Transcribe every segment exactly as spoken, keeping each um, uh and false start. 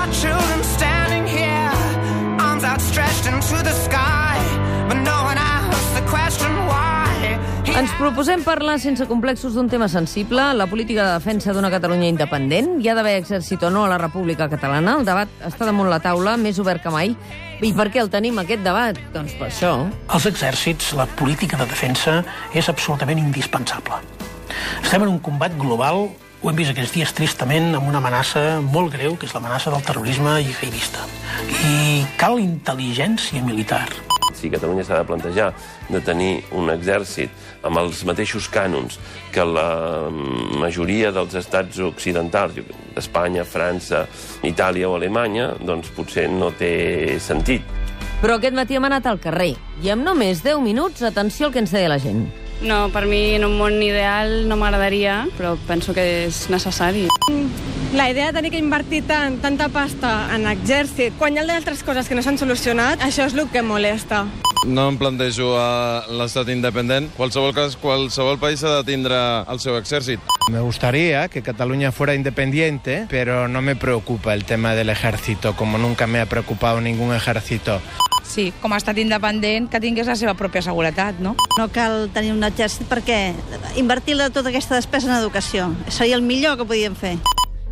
our children standing here, arms outstretched into the sky, but no one asks the question why. Ens proposem parlar sense complexos d'un tema sensible, la política de defensa d'una Catalunya independent. Hi ha d'haver exèrcit o no a la República Catalana? El debat està damunt la taula, més obert que mai. I per què el tenim, aquest debat? Doncs per això. Els exèrcits, la política de defensa, és absolutament indispensable. Estem en un combat global, ho hem vist aquests dies tristament, amb una amenaça molt greu, que és l'amenaça del terrorisme jihadista. I cal intel·ligència militar. Si Catalunya s'ha de plantejar de tenir un exèrcit amb els mateixos cànons que la majoria dels estats occidentals, Espanya, França, Itàlia o Alemanya, doncs potser no té sentit. Però aquest matí hem anat al carrer i amb només deu minuts, atenció al que ens deia la gent. No, per mi en un món ideal no m'agradaria, però penso que és necessari. La idea de tenir que invertir tant, tanta pasta en exèrcit, quan hi ha d'altres coses que no s'han solucionat, això és el que molesta. No em plantejo a l'estat independent. Qualsevol cas, qualsevol país ha de tindre el seu exèrcit. Me gustaría que Cataluña fuera independiente, pero no me preocupa el tema del ejército, como nunca me ha preocupado ningún ejército. Sí, com a estat independent, que tingués la seva pròpia seguretat, no? No cal tenir un exèrcit perquè invertir tota aquesta despesa en educació seria el millor que podíem fer.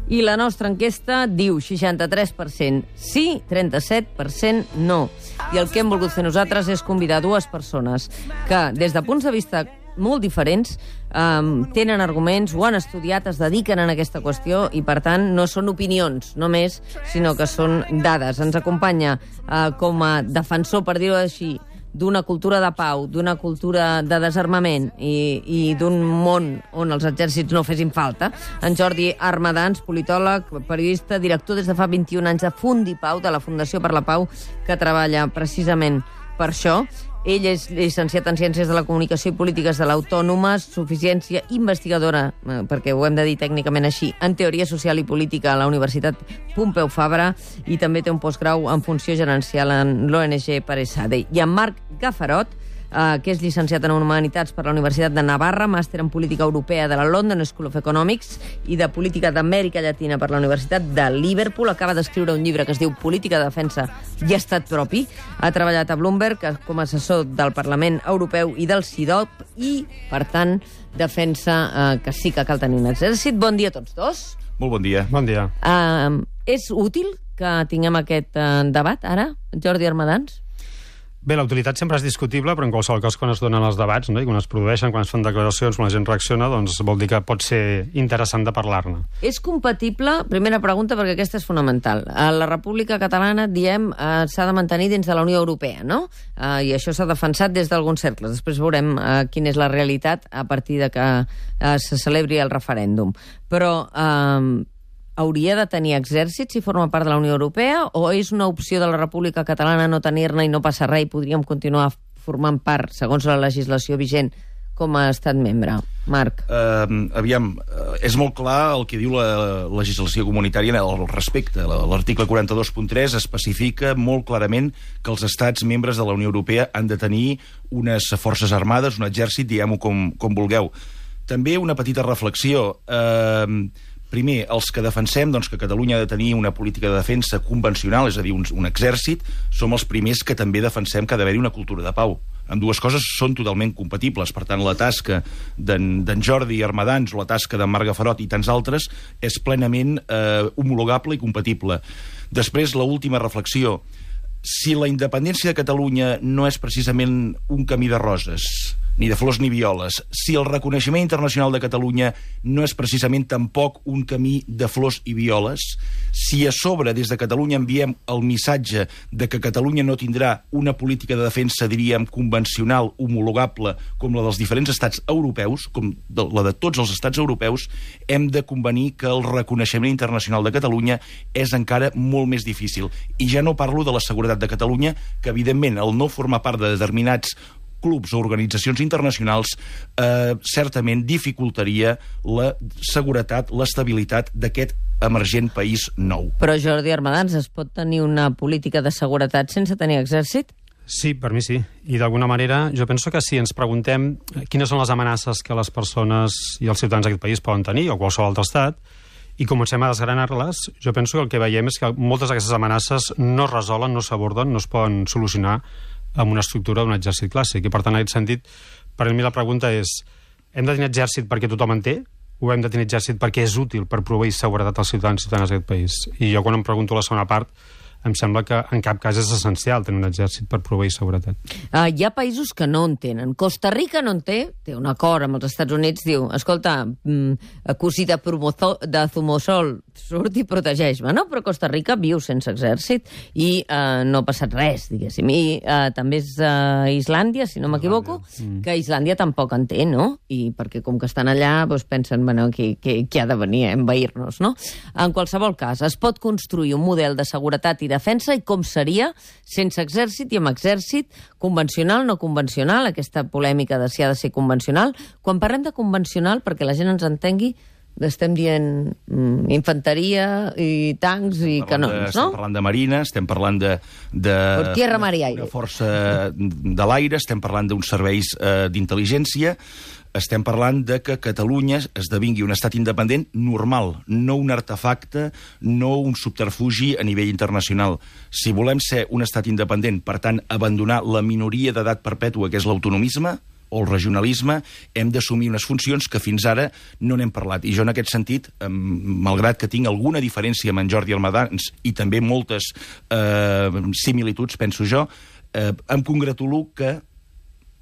I la nostra enquesta diu seixanta-tres per cent sí, trenta-set per cent no. I el que hem volgut fer nosaltres és convidar dues persones que, des de punts de vista molt diferents, um, tenen arguments, ho han estudiat, es dediquen a aquesta qüestió i, per tant, no són opinions només, sinó que són dades. Ens acompanya uh, com a defensor, per dir-ho així, d'una cultura de pau, d'una cultura de desarmament i, i d'un món on els exèrcits no fessin falta, en Jordi Armadans, politòleg, periodista, director des de fa vint-i-un anys de Fundipau, de la Fundació per la Pau, que treballa precisament per això. Ell és llicenciat en Ciències de la Comunicació i Polítiques de l'Autònoma, suficiència investigadora, perquè ho hem de dir tècnicament així, en Teoria Social i Política a la Universitat Pompeu Fabra, i també té un postgrau en Funció Gerencial en l'O N G Paresade. I en Marc Gafarot, eh, que és llicenciat en Humanitats per la Universitat de Navarra, màster en Política Europea de la London School of Economics i de Política d'Amèrica Llatina per la Universitat de Liverpool. Acaba d'escriure un llibre que es diu Política de Defensa i Estat Propi. Ha treballat a Bloomberg com a assessor del Parlament Europeu i del CIDOP i, per tant, defensa eh, que sí que cal tenir un exèrcit. Bon dia a tots dos. Molt bon dia. Bon dia. Uh, és útil que tinguem aquest uh, debat ara, Jordi Armadans? Bé, la utilitat sempre és discutible, però en qualsevol cas quan es donen els debats, no? I quan es produeixen, quan es fan declaracions, quan la gent reacciona, doncs vol dir que pot ser interessant de parlar-ne. És compatible, primera pregunta, perquè aquesta és fonamental. A la República Catalana, diem, eh, s'ha de mantenir dins de la Unió Europea, no? Eh, I això s'ha defensat des d'alguns cercles. Després veurem eh, quina és la realitat a partir de que eh, se celebri el referèndum. Però eh, hauria de tenir exèrcit si forma part de la Unió Europea o és una opció de la República Catalana no tenir-ne i no passa res i podríem continuar formant part, segons la legislació vigent, com a estat membre? Marc. Uh, aviam, uh, és molt clar el que diu la legislació comunitària al respecte. L'article quaranta-dos punt tres especifica molt clarament que els estats membres de la Unió Europea han de tenir unes forces armades, un exèrcit, diguem-ho com, com vulgueu. També una petita reflexió. Uh, Primer, els que defensem doncs, que Catalunya ha de tenir una política de defensa convencional, és a dir, un, un exèrcit, som els primers que també defensem que ha d'haver-hi una cultura de pau. Amb dues coses són totalment compatibles. Per tant, la tasca d'en Jordi Armadans o la tasca d'en Marc Gafarot i tants altres és plenament eh, homologable i compatible. Després, l'última reflexió. Si la independència de Catalunya no és precisament un camí de roses, ni de flors ni violes, si el reconeixement internacional de Catalunya no és precisament tampoc un camí de flors i violes, si a sobre des de Catalunya enviem el missatge de que Catalunya no tindrà una política de defensa, diríem, convencional, homologable, com la dels diferents estats europeus, com de, la de tots els estats europeus, hem de convenir que el reconeixement internacional de Catalunya és encara molt més difícil. I ja no parlo de la seguretat de Catalunya, que evidentment el no formar part de determinats clubs o organitzacions internacionals eh, certament dificultaria la seguretat, l'estabilitat d'aquest emergent país nou. Però, Jordi Armadans, es pot tenir una política de seguretat sense tenir exèrcit? Sí, per mi sí. I d'alguna manera jo penso que si ens preguntem quines són les amenaces que les persones i els ciutadans d'aquest país poden tenir, o qualsevol altre estat, i comencem a desgranar-les, jo penso que el que veiem és que moltes d'aquestes amenaces no es resolen, no s'aborden, no es poden solucionar amb una estructura d'un exèrcit clàssic. I, per tant, en aquest sentit, per a mi la pregunta és: hem de tenir exèrcit perquè tothom en té? O hem de tenir exèrcit perquè és útil per proveir seguretat als ciutadans i ciutadanes d'aquest país? I jo, quan em pregunto la segona part, em sembla que en cap cas és essencial tenir un exèrcit per proveir seguretat. Uh, hi ha països que no en tenen. Costa Rica no en té, té un acord amb els Estats Units, diu, escolta, mm, cosí de, de zumosol, surt i protegeix-me, no? Però Costa Rica viu sense exèrcit i uh, no ha passat res, diguéssim. I uh, també és uh, Islàndia, si no m'equivoco, mm. que Islàndia tampoc en té, no? I perquè com que estan allà, doncs pensen, bueno, qui, qui, qui ha de venir a envair-nos, no? En qualsevol cas, es pot construir un model de seguretat i defensa i com seria sense exèrcit i amb exèrcit, convencional, no convencional, aquesta polèmica de si ha de ser convencional. Quan parlem de convencional, perquè la gent ens entengui, estem dient mm, infanteria i tancs i canons, de, no? Estem parlant de marina, estem parlant de... de Por tierra, mar i aire. Una força de l'aire, estem parlant d'uns serveis eh, d'intel·ligència, estem parlant de que Catalunya esdevingui un estat independent normal, no un artefacte, no un subterfugi a nivell internacional. Si volem ser un estat independent, per tant, abandonar la minoria d'edat perpètua, que és l'autonomisme, o el regionalisme, hem d'assumir unes funcions que fins ara no n'hem parlat. I jo, en aquest sentit, eh, malgrat que tinc alguna diferència amb en Jordi Almadans i també moltes eh, similituds, penso jo, eh, em congratulo que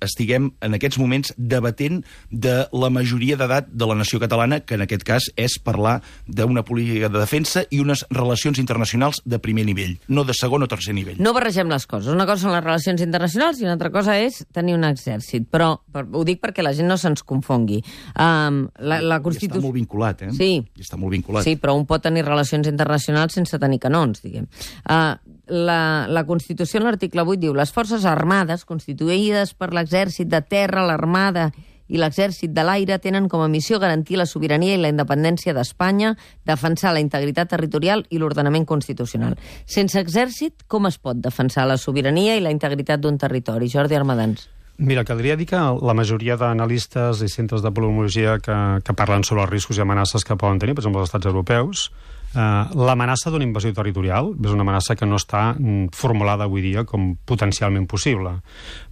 estiguem en aquests moments debatent de la majoria d'edat de la nació catalana, que en aquest cas és parlar d'una política de defensa i unes relacions internacionals de primer nivell, no de segon o tercer nivell. No barregem les coses. Una cosa són les relacions internacionals i una altra cosa és tenir un exèrcit. Però per, ho dic perquè la gent no se'ns confongui. Um, la, la Constitució... I està molt vinculat, eh? Sí. I està molt vinculat. Sí, però un pot tenir relacions internacionals sense tenir canons, diguem. Uh, la, la Constitució, en l'article vuit, diu: les forces armades, constituïdes per l'exèrcit de terra, l'armada i l'exèrcit de l'aire, tenen com a missió garantir la sobirania i la independència d'Espanya, defensar la integritat territorial i l'ordenament constitucional. Sense exèrcit, com es pot defensar la sobirania i la integritat d'un territori? Jordi Armadans. Mira, caldria dir que la majoria d'analistes i centres de politologia que, que parlen sobre els riscos i amenaces que poden tenir, per exemple, els estats europeus, eh, l'amenaça d'una invasió territorial és una amenaça que no està formulada avui dia com potencialment possible.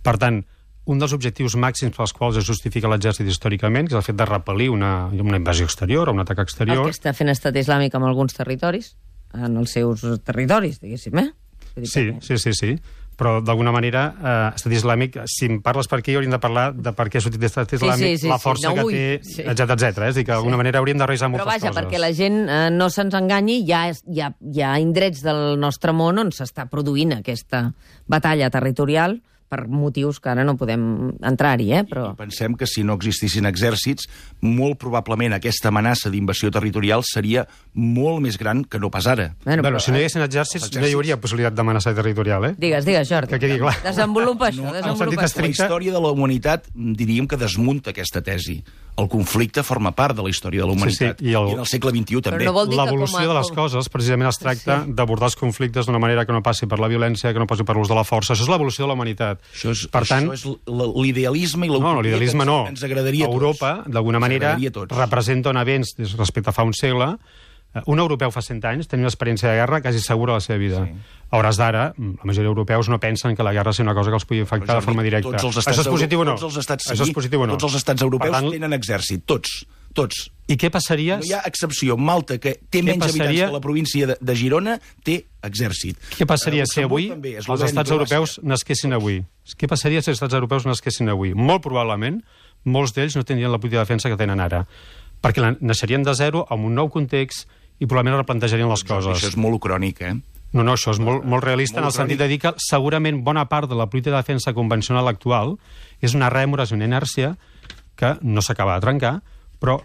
Per tant, un dels objectius màxims pels quals es justifica l'exèrcit històricament, que és el fet de repel·lir una, una invasió exterior o un atac exterior... El que està fent estat islàmic en alguns territoris, en els seus territoris, diguéssim, eh? Sí, sí, sí, sí. Però, d'alguna manera, eh, estat islàmic, si em parles per aquí, hauríem de parlar de per què ha sortit l'estat islàmic, sí, sí, sí, la força sí, no, que té, sí. etcètera, etcètera. És a dir, que d'alguna sí. manera hauríem de revisar moltes coses. Però vaja, coses. Perquè la gent eh, no se'ns enganyi, hi ha, hi, ha, hi ha indrets del nostre món on s'està produint aquesta batalla territorial per motius que ara no podem entrar-hi, eh? Però... I pensem que si no existissin exèrcits, molt probablement aquesta amenaça d'invasió territorial seria molt més gran que no pas ara. Bueno, però, si no hi haguessin exèrcits, exèrcits, no hi hauria possibilitat d'amenaça territorial, eh? Digues, digues, Jordi. Que quedi clar. Desenvolupa això, no, desenvolupa això. La història de la humanitat, diríem que desmunta aquesta tesi. El conflicte forma part de la història de la humanitat. Sí, sí. I, el... I en el segle vint-i-u també. No l'evolució de les coses, precisament, es tracta sí. d'abordar els conflictes d'una manera que no passi per la violència, que no passi per l'ús de la força. Això és l'evolució de la humanitat. Això és, per tant, això és l'idealisme i l'utopia no, l'idealisme no. que ens agradaria a tots. Europa, d'alguna manera, representa un avenç respecte a fa un segle. Un europeu fa cent anys tenia una experiència de guerra quasi segura a la seva vida. Sí. A hores d'ara, la majoria d'europeus no pensen que la guerra sigui una cosa que els pugui afectar de forma directa. Això és positiu o no? Tots els estats, sí, Això és positiu o no? Tots els estats europeus tant... tenen exèrcit, tots. Tots. I què passaria... No hi ha excepció. Malta, que té menys passaria... habitants que la província de, de Girona, té exèrcit. Què passaria si avui també, els estats europeus nasquessin avui? Què passaria si els estats europeus nasquessin avui? Molt probablement, molts d'ells no tindrien la política de defensa que tenen ara. Perquè naixerien de zero, amb un nou context, i probablement replantejarien les coses. Això és molt ucrònic, eh? No, no, això és molt, molt realista molt en el sentit de dir que segurament bona part de la política de defensa convencional actual és una rèmora, és una inèrcia que no s'acaba de trencar, però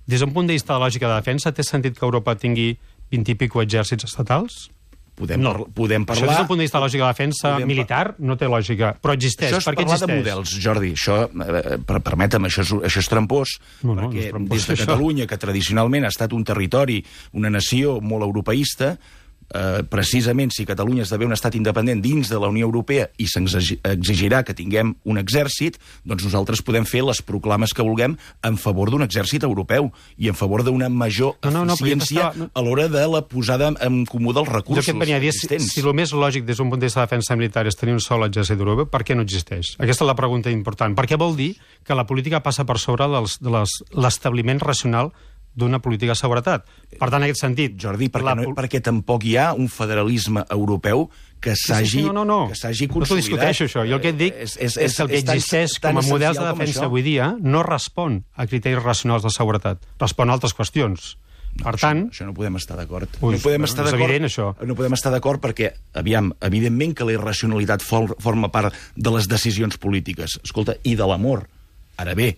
des d'un punt de vista de lògica de defensa té sentit que Europa tingui vint i pico exèrcits estatals? Podem, no. par podem parlar... Això des d'un punt de vista de lògica de defensa militar no té lògica, però existeix. Això és per què parlar existeix? de models, Jordi. Això, eh, per, permetem, això és, això és trampós, no, no, perquè no és trampós, des de això. Catalunya, que tradicionalment ha estat un territori, una nació molt europeista, eh, precisament si Catalunya esdevé un estat independent dins de la Unió Europea i se'ns exigirà que tinguem un exèrcit, doncs nosaltres podem fer les proclames que vulguem en favor d'un exèrcit europeu i en favor d'una major no, no, no, eficiència estava... no. a l'hora de la posada en comú dels recursos jo que et venia a dir, existents. Si, si el més lògic des d'un punt de vista de defensa militar és tenir un sol exèrcit d'Europa, per què no existeix? Aquesta és la pregunta important. Per què vol dir que la política passa per sobre dels, de l'establiment racional d'una política de seguretat? Per tant, en aquest sentit... Jordi, perquè, la... no, perquè tampoc hi ha un federalisme europeu que s'hagi sí, sí, no, no, no. que s'hagi consolidat. No t'ho discuteixo, això. Jo el que et dic és, és, és, és que el que existeix tan, com a models de defensa avui dia no respon a criteris racionals de seguretat, respon a altres qüestions. No, per això, tant... Això no podem estar d'acord. No podem estar és d'acord. evident, això. No podem estar d'acord perquè, aviam, evidentment que la irracionalitat for, forma part de les decisions polítiques. Escolta, i de l'amor. Ara bé,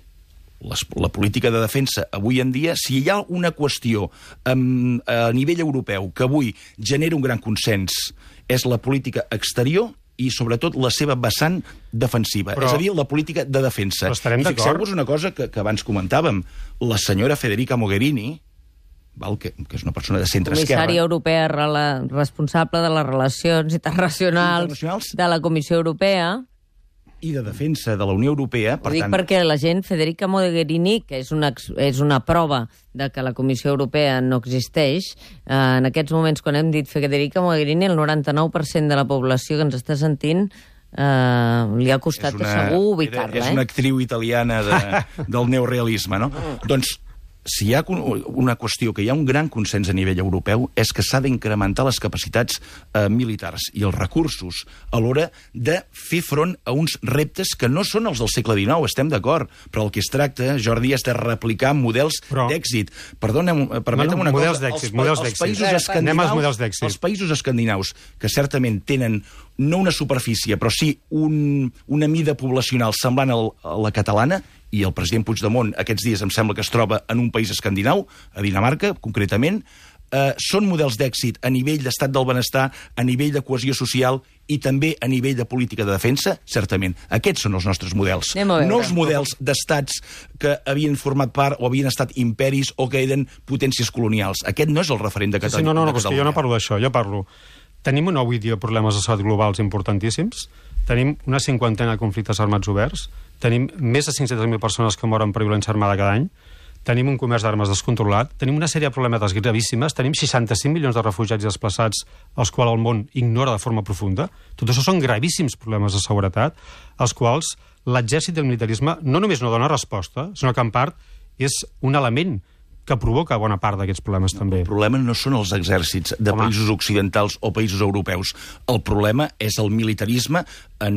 les, la política de defensa avui en dia, si hi ha una qüestió um, a nivell europeu que avui genera un gran consens, és la política exterior i, sobretot, la seva vessant defensiva. Però, és a dir, la política de defensa. Però estarem d'acord. Fixeu-vos una cosa que, que abans comentàvem. La senyora Federica Mogherini, val, que, que és una persona de centre-esquerra... Comissària europea rela, responsable de les relacions internacionals, internacionals de la Comissió Europea... i de defensa de la Unió Europea. Per Ho dic tant... perquè la gent, Federica Mogherini, que és una, és una prova de que la Comissió Europea no existeix, eh, en aquests moments, quan hem dit Federica Mogherini, el noranta-nou per cent de la població que ens està sentint eh, li ha costat una, segur ubicar-la. És eh? una actriu italiana de, del neorealisme, no? Doncs, si hi ha una qüestió que hi ha un gran consens a nivell europeu és que s'ha d'incrementar les capacitats eh, militars i els recursos a l'hora de fer front a uns reptes que no són els del segle dinou, estem d'acord, però el que es tracta, Jordi, és de replicar models però... d'èxit. Perdona'm, permetem no, no, una models cosa. D'èxit, els, models els, d'èxit. països escandinaus, models d'èxit. els països escandinaus, que certament tenen no una superfície, però sí un, una mida poblacional semblant al, a la catalana, i el president Puigdemont aquests dies em sembla que es troba en un país escandinau, a Dinamarca, concretament, eh, són models d'èxit a nivell d'estat del benestar, a nivell de cohesió social i també a nivell de política de defensa, certament. Aquests són els nostres models. No els models d'estats que havien format part o havien estat imperis o que eren potències colonials. Aquest no és el referent de Catalunya. Sí, sí, no, no, no, és que jo no parlo d'això, jo parlo... Tenim una avui dia problemes de salut globals importantíssims, tenim una cinquantena de conflictes armats oberts, tenim més de cinc-centes mil persones que moren per violència armada cada any, tenim un comerç d'armes descontrolat, tenim una sèrie de problemes gravíssimes, tenim seixanta-cinc milions de refugiats i desplaçats als quals el món ignora de forma profunda. Tot això són gravíssims problemes de seguretat, als quals l'exèrcit i el militarisme no només no dona resposta, sinó que en part és un element que provoca bona part d'aquests problemes, també. El problema no són els exèrcits de Home. països occidentals o països europeus. El problema és el militarisme en,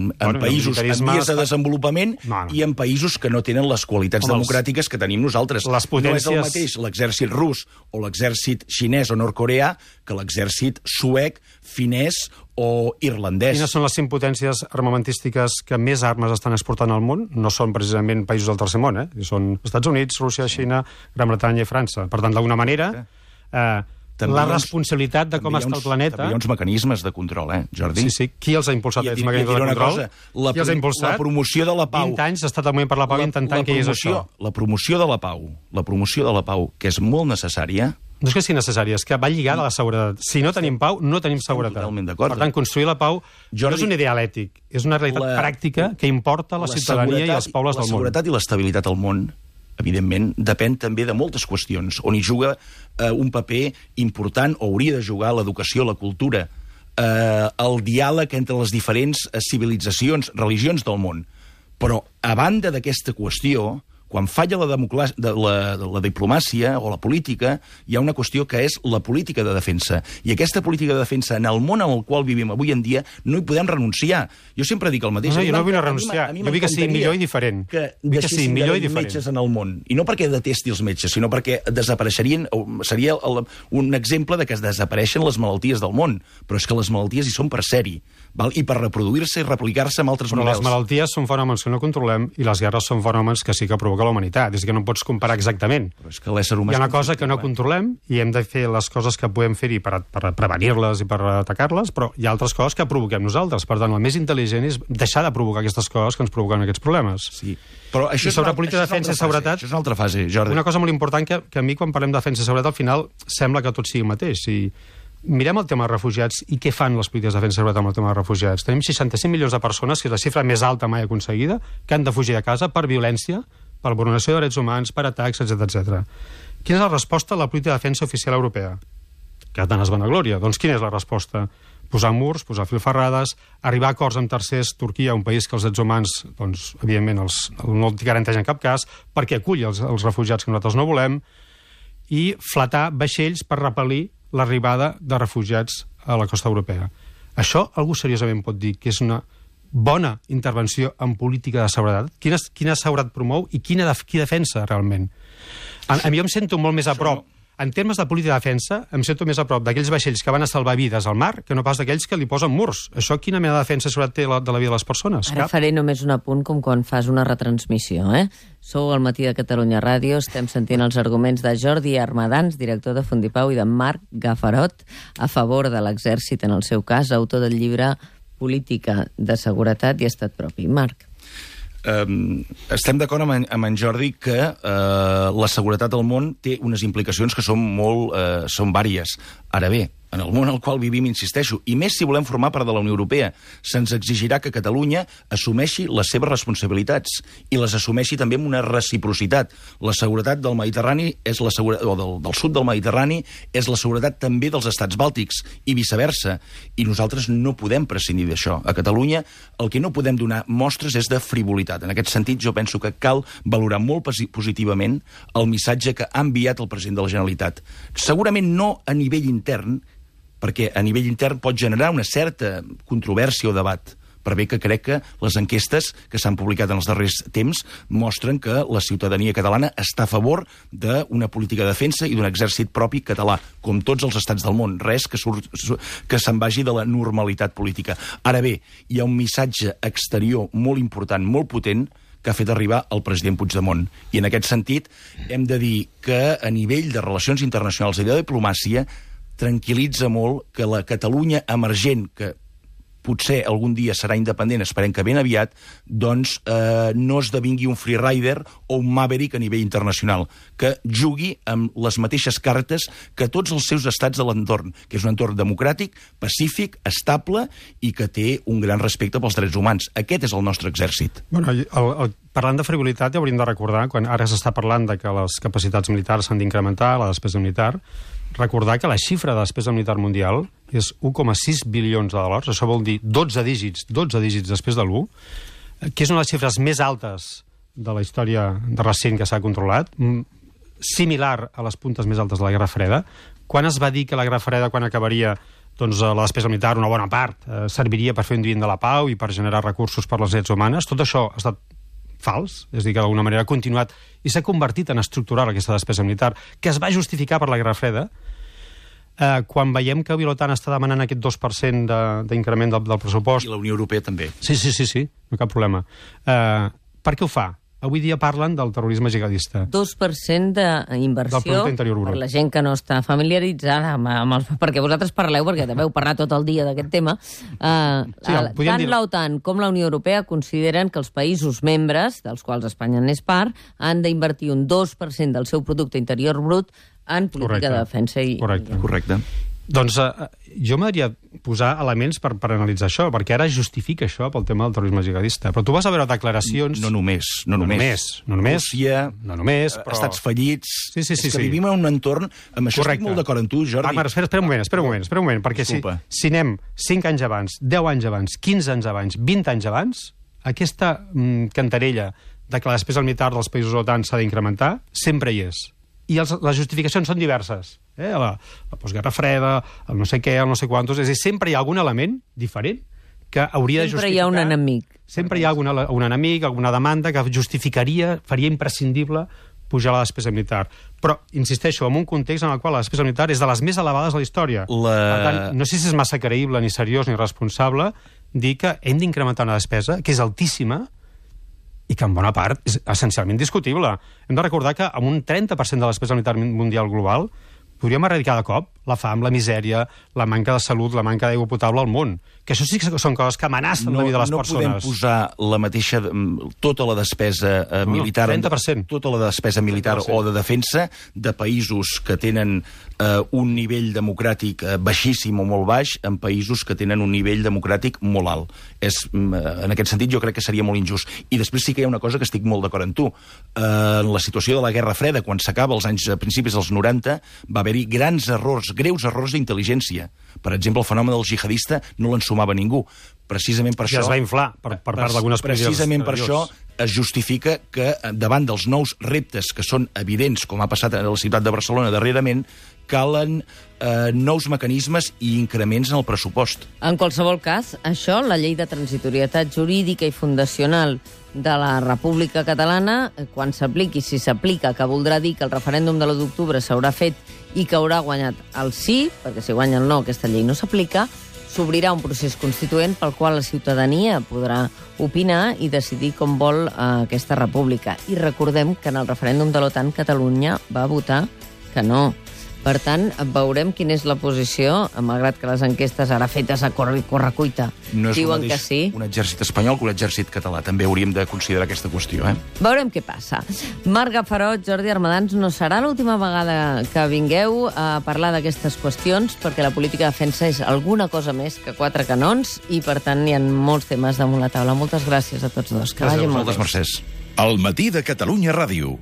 en bueno, països en vies de desenvolupament no, no. i en països que no tenen les qualitats Home, democràtiques que tenim nosaltres. Les potències... No és el mateix l'exèrcit rus o l'exèrcit xinès o nord-coreà que l'exèrcit suec, finès o irlandès. Quines són les cinc potències armamentístiques que més armes estan exportant al món? No són precisament països del tercer món, eh? Són Estats Units, Rússia, Xina, Gran Bretanya i França. Per tant, d'alguna manera, eh, també la responsabilitat de com està el planeta... També hi ha uns mecanismes de control, eh, Jordi? Sí, sí. Qui els ha impulsat, aquests mecanismes de control? Cosa, la, Qui els ha impulsat? La promoció de la pau. vint anys ha estat el moviment per la pau la, intentant la que hi és això. La promoció de la pau, la promoció de la pau, que és molt necessària... No és que sigui necessària, és que va lligada a la seguretat. Si no tenim pau, no tenim seguretat. Totalment d'acord. Per tant, construir la pau Jordi, no és un ideal ètic, és una realitat la, pràctica que importa a la, la ciutadania i als pobles del món. La seguretat i l'estabilitat al món, evidentment, depèn també de moltes qüestions, on hi juga eh, un paper important, o hauria de jugar l'educació, la cultura, eh, el diàleg entre les diferents civilitzacions, religions del món. Però, a banda d'aquesta qüestió, quan falla la, de la, de la diplomàcia o la política, hi ha una qüestió que és la política de defensa. I aquesta política de defensa, en el món en el qual vivim avui en dia, no hi podem renunciar. Jo sempre dic el mateix. No, no jo no vull renunciar. Jo vull que sigui millor i diferent. Que deixessin de haver metges en el món. I no perquè detesti els metges, sinó perquè desapareixerien... Seria el, un exemple de que es desapareixen les malalties del món. Però és que les malalties hi són per sèrie. Val? I per reproduir-se i replicar-se amb altres Però models. Les malalties són fenòmens que no controlem i les guerres són fenòmens que sí que provoca la humanitat. És que no pots comparar exactament. Però és que l'ésser humà... Hi ha una cosa que no controlem i hem de fer les coses que podem fer-hi per, per prevenir-les i per atacar-les, però hi ha altres coses que provoquem nosaltres. Per tant, el més intel·ligent és deixar de provocar aquestes coses que ens provoquen aquests problemes. Sí. Però això I sobre és política de defensa i seguretat... Això és una altra fase, Jordi. Una cosa molt important que, que a mi, quan parlem de defensa i seguretat, al final sembla que tot sigui el mateix. I mirem el tema dels refugiats i què fan les polítiques de defensa i seguretat amb el tema dels refugiats. Tenim seixanta-cinc milions de persones, que és la xifra més alta mai aconseguida, que han de fugir a casa per violència, per vulneració de drets humans, per atacs, etcètera etcètera. Quina és la resposta a la política de defensa oficial europea? Que tant es vanaglòria. Doncs quina és la resposta? Posar murs, posar filferrades, arribar a acords amb tercers, Turquia, un país que els drets humans, doncs, evidentment, els, no els garanteix en cap cas, perquè acull els, els refugiats que nosaltres no volem, i flatar vaixells per repel·lir l'arribada de refugiats a la costa europea. Això algú seriosament pot dir que és una bona intervenció en política de seguretat? Quina, quina seguretat promou i quina de, qui defensa realment? A, a mi em sento molt més a prop. En termes de política de defensa, em sento més a prop d'aquells vaixells que van a salvar vides al mar que no pas d'aquells que li posen murs. Això quina mena de defensa i seguretat té la, de la vida de les persones? Ara Cap? faré només un apunt com quan fas una retransmissió, eh? Sou al Matí de Catalunya Ràdio, estem sentint els arguments de Jordi Armadans, director de Fundipau, i de Marc Gafarot, a favor de l'exèrcit, en el seu cas, autor del llibre Política de Seguretat i Estat Propi. Marc. Um, estem d'acord amb, en, amb en Jordi que uh, la seguretat al món té unes implicacions que són molt uh, són vàries. Ara bé, en el món al qual vivim, insisteixo, i més si volem formar part de la Unió Europea, se'ns exigirà que Catalunya assumeixi les seves responsabilitats i les assumeixi també amb una reciprocitat. La seguretat del Mediterrani és la segura... o del, del sud del Mediterrani és la seguretat també dels estats bàltics i viceversa. I nosaltres no podem prescindir d'això. A Catalunya el que no podem donar mostres és de frivolitat. En aquest sentit, jo penso que cal valorar molt positivament el missatge que ha enviat el president de la Generalitat. Segurament no a nivell intern, perquè a nivell intern pot generar una certa controvèrsia o debat, per bé que crec que les enquestes que s'han publicat en els darrers temps mostren que la ciutadania catalana està a favor d'una política de defensa i d'un exèrcit propi català, com tots els estats del món, res que, surt, que se'n vagi de la normalitat política. Ara bé, hi ha un missatge exterior molt important, molt potent, que ha fet arribar el president Puigdemont. I en aquest sentit hem de dir que a nivell de relacions internacionals i de diplomàcia tranquil·litza molt que la Catalunya emergent, que potser algun dia serà independent, esperem que ben aviat, doncs eh, no esdevingui un freerider o un maverick a nivell internacional, que jugui amb les mateixes cartes que tots els seus estats de l'entorn, que és un entorn democràtic, pacífic, estable i que té un gran respecte pels drets humans. Aquest és el nostre exèrcit. Bueno, el, el, parlant de frivolitat, ja hauríem de recordar, quan ara s'està parlant de que les capacitats militars s'han d'incrementar, la despesa militar, recordar que la xifra de despesa militar mundial és un coma sis bilions de dòlars, això vol dir dotze dígits, dotze dígits després de l'u, que és una de les xifres més altes de la història de recent que s'ha controlat, similar a les puntes més altes de la Guerra Freda. Quan es va dir que la Guerra Freda, quan acabaria, doncs la despesa militar, una bona part, eh, serviria per fer un divin de la pau i per generar recursos per les drets humanes, tot això ha estat fals, és a dir, que d'alguna manera ha continuat i s'ha convertit en estructural aquesta despesa militar, que es va justificar per la Guerra Freda. Eh, quan veiem que l'OTAN està demanant aquest dos per cent d'increment del, del pressupost... I la Unió Europea també. Sí, sí, sí, sí, no cap problema. Eh, per què ho fa? Avui dia parlen del terrorisme jihadista. dos per cent d'inversió per la gent que no està familiaritzada amb, amb els... Perquè vosaltres parleu, perquè també heu parlat tot el dia d'aquest tema. Uh, sí, uh, tant dir... l'OTAN com la Unió Europea consideren que els països membres, dels quals Espanya n'és part, han d'invertir un dos per cent del seu producte interior brut en política Correcte. de defensa. I... Correcte. Correcte. Doncs uh, jo m'agradaria posar elements per, per analitzar això, perquè ara justifica això pel tema del terrorisme jihadista. Però tu vas a veure declaracions... No només. No, no només. només. No només. Rússia, no només, però... estats fallits... Sí, sí, sí. És que sí. vivim en un entorn... Amb això Correcte. estic molt d'acord amb tu, Jordi. Ah, Marc, espera, espera un moment, espera un moment, espera un moment, perquè si, si anem cinc anys abans, deu anys abans, quinze anys abans, vint anys abans, aquesta mm, cantarella de que la despesa militar dels països OTAN s'ha d'incrementar sempre hi és. I els, les justificacions són diverses. Eh? La, la postguerra freda, el no sé què, el no sé quantos... És a dir, sempre hi ha algun element diferent que hauria sempre de justificar... Sempre hi ha un enemic. Sempre hi ha alguna, un enemic, alguna demanda que justificaria, faria imprescindible pujar la despesa militar. Però, insisteixo, en un context en el qual la despesa militar és de les més elevades de la història. La... Per tant, no sé si és massa creïble, ni seriós, ni responsable dir que hem d'incrementar una despesa que és altíssima i que en bona part és essencialment discutible. Hem de recordar que amb un trenta per cent de la despesa militar mundial global podríem erradicar de cop la fam, la misèria, la manca de salut, la manca d'aigua potable al món. Que això sí que són coses que amenacen no, la vida de les no persones. No podem posar la mateixa, tota la despesa eh, no, militar... trenta per cent. Tota la despesa militar o de defensa de països que tenen eh, un nivell democràtic eh, baixíssim o molt baix en països que tenen un nivell democràtic molt alt. És, en aquest sentit, jo crec que seria molt injust. I després sí que hi ha una cosa que estic molt d'acord amb tu. Eh, en la situació de la Guerra Freda, quan s'acaba als anys a principis dels noranta, va haver-hi grans errors, greus errors d'intel·ligència. Per exemple, el fenomen del jihadista no l'ensumava ningú. Precisament per I això... es va inflar per, per part d'algunes polítiques. Precisament per això es justifica que davant dels nous reptes que són evidents, com ha passat a la ciutat de Barcelona darrerament, calen eh, nous mecanismes i increments en el pressupost. En qualsevol cas, això, la llei de transitorietat jurídica i fundacional de la República Catalana, quan s'apliqui, si s'aplica, que voldrà dir que el referèndum de l'u d'octubre s'haurà fet i que haurà guanyat el sí, perquè si guanya el no, aquesta llei no s'aplica, s'obrirà un procés constituent pel qual la ciutadania podrà opinar i decidir com vol eh, aquesta república. I recordem que en el referèndum de l'OTAN Catalunya va votar que no. Per tant, veurem quina és la posició, malgrat que les enquestes ara fetes a correcuita no diuen que sí. Un exèrcit espanyol que un exèrcit català. També hauríem de considerar aquesta qüestió, eh? Veurem què passa. Marc Gafarot, Jordi Armadans, no serà l'última vegada que vingueu a parlar d'aquestes qüestions, perquè la política de defensa és alguna cosa més que quatre canons i, per tant, hi ha molts temes damunt la taula. Moltes gràcies a tots dos. Que vagi molt bé. Moltes mercès. El matí de Catalunya Ràdio.